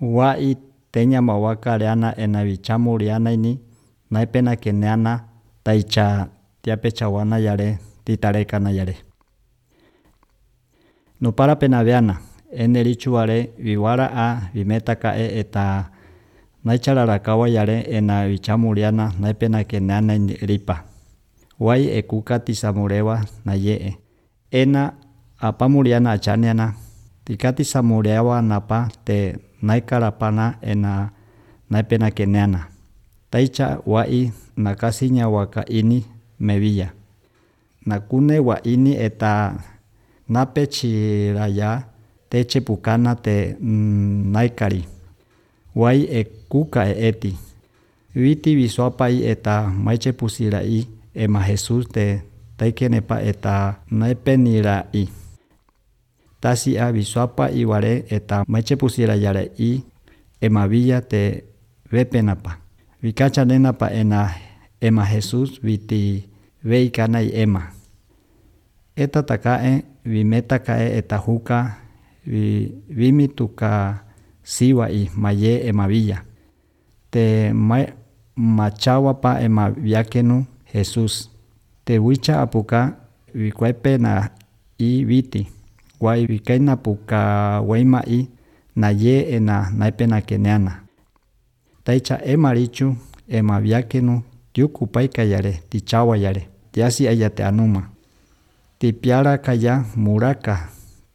Wa'i teña mawakaleana enavichamulianaini naipena keneana taicha tiapechawana yare titarekana yare. Nupara penaveana enerichuare viwara'a vimetaka'e eta naichararakawa yare enavichamuliana naipena keneana ripa. Wa'i ekuka tisamurewa naye'e. Ena apamuliana achaniana tika tisamurewa napa te naikarapana ena naipena keneana. Taicha wa'i nakasinya wakaini mevilla. Nakune wa'ini eta napechiraya teche pukana te naikari. Wa'i ekuka eti. Viti visuapai eta maiche pusirai ema Jesus te taikenepa eta naipenirai. Tasia visuapa iware eta maiche pusirayare i ema villa te vepenapa. Vikacha nenapa ema Jesus viti veikanai ema. Eta takae vimetakae eta huka vimituka siwai maye ema villa. Te machawapa ema viakenu Jesus. Te wicha apuka vikuepena i viti. Wai vikaina puka waima i na ye ena naipena keneana. Taicha ema richu ema viakenu tiuku paika yare tichawa yare. Tiasi ayate anuma. Tipiara kaya muraka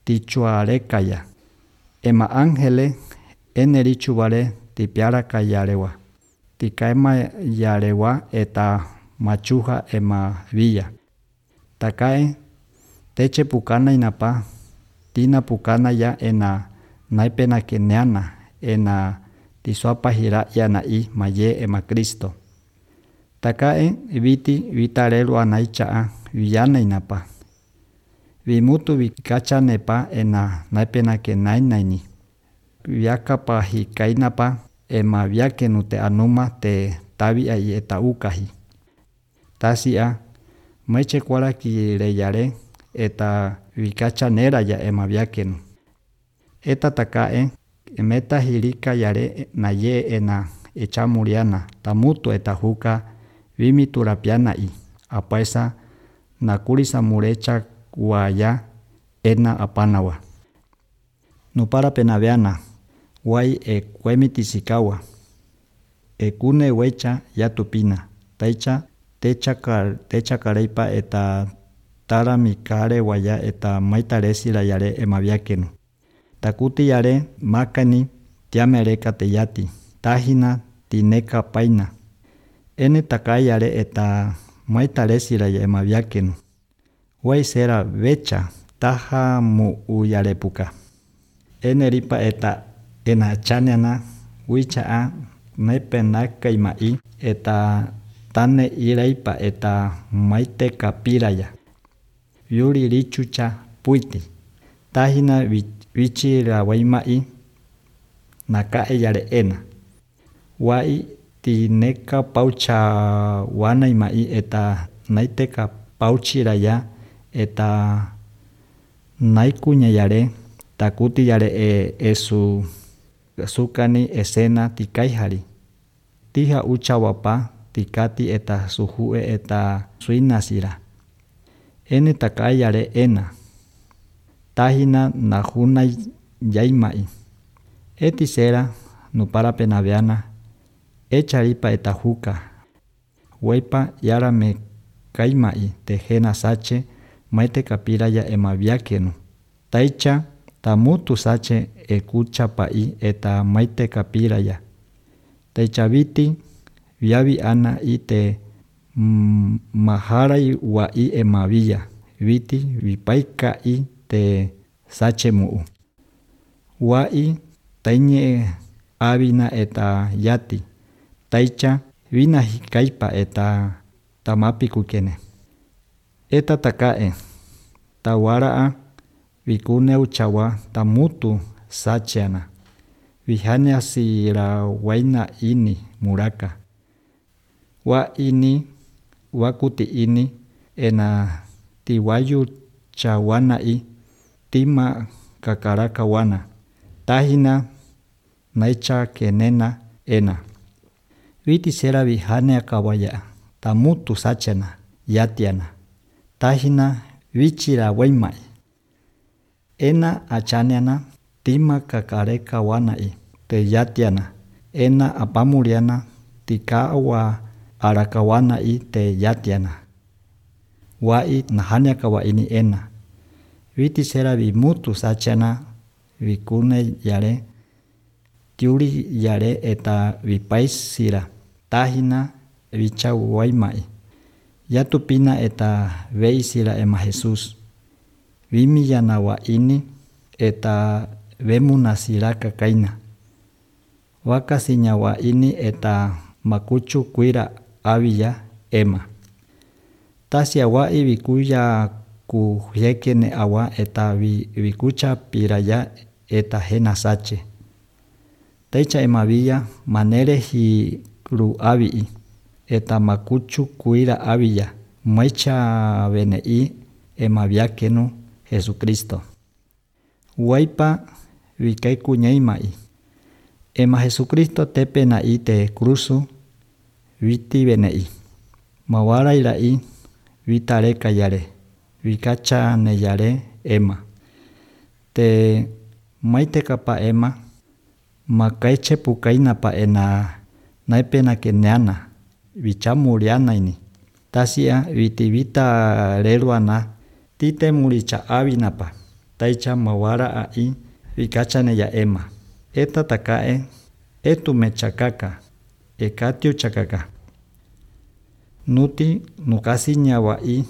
tichuare kaya. Ema angele enerichu vale tipiara kayarewa. Tikaema yarewa eta machuja ema villa. Takae teche pukana inapa tina pukana ya ena naipena keneana ena tisuapa hira yana i maye ema Kristo. Takae viti vitarelu anaichaa villana inapa. Vimutu vikacha nepa ena naipena kenainaini. Viakapa hikainapa ema viakenu te anuma te tabia i eta ukahi. Tasia maiche kuara kireyare eta vikacha nera ya ema viakenu. Eta takae emeta hirika yare naye ena echamuriana tamutu eta huka vimiturapiana i. Apaesa nakuri samurecha waya ena apanawa. Nupara penaveana wai ekuemitisikawa. Ekune wecha yatupina. Taicha techa kareipa eta tara mikare waya eta maitaresira yare ema viakenu. Takuti yare makani tiamereka teyati. Tahina tineka paina. Ene takai yare eta maitaresira ya ema viakenu. Wai sera vecha taha mu uyarepuka. Ene ripa eta ena chaneana wichaa naipenaka imai eta tane iraipa eta maite kapiraya. Yuri richucha puiti. Tahina vichira waimai nakae yare ena. Wai tineka paucha wana imai eta naiteka pauchiraya eta naikunya yare takuti yare esu sukani esena tikaihari. Tiha uchawapa tikati eta suhue eta suinasira. Ene takai yare ena. Tahina nahunai yaimai. Etisera nupara penaveana echaripa eta huka. Weipa yara me kaimai tejena sache maite kapiraya ema viakenu. Taicha tamutu sache ekuchapai eta maite kapiraya. Taicha viti viavi ana ite maharai wa i ema villa. Viti vipaika i te sache muu. Wa i tainye avina eta yati. Taicha vina hikaipa eta tamapi kukene. Eta takae tawaraa vikune uchawa tamutu sacheana. Vihanya sira waina ini muraka. Wa ini wakuti ini ena tiwayu chawana i tima kakaraka wana. Tahina naicha kenena ena. Viti seravi hanea kawaya tamutu sachena yatiana. Tahina vichira waimai. Ena achaneana tima kakareka wanai te yatiana. Ena apamuriana tikawa arakawanai te yatiana. Wai nahania kawa ini ena. Viti seravi mutu sachena vikune yare tiuri yare eta vipaisira tahina vichau waimai. Yatupina eta veisira ema Jesus. Vimi yanawa ini eta vemunasiraka kaina. Wakasiñawa ini eta makuchu kuira aviya ema. Tasia wai vikuya kuyekene awa eta vikucha piraya eta hena sache. Taicha ema villa manere hi ru avi eta makuchu kuira aviya maicha venei ema viakenu Jesucristo. Waipa vikai kuñaimai. Ema Jesucristo tepena te cruzu viti venei. Mawara irai vitareka yare. Vikacha ne yare ema. Te maite kapa ema makaiche pukaina pa ena naipena keneana vichamuriana ini. Tasia viti vita reruana tite muricha avinapa. Taicha mawara ai vikacha ne ya ema. Eta takae etu mechakaka ekatiu chakaka. Nuti nukasi nyawai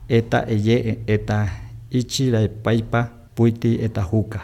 eta eye eta ichira paipa puiti eta huka.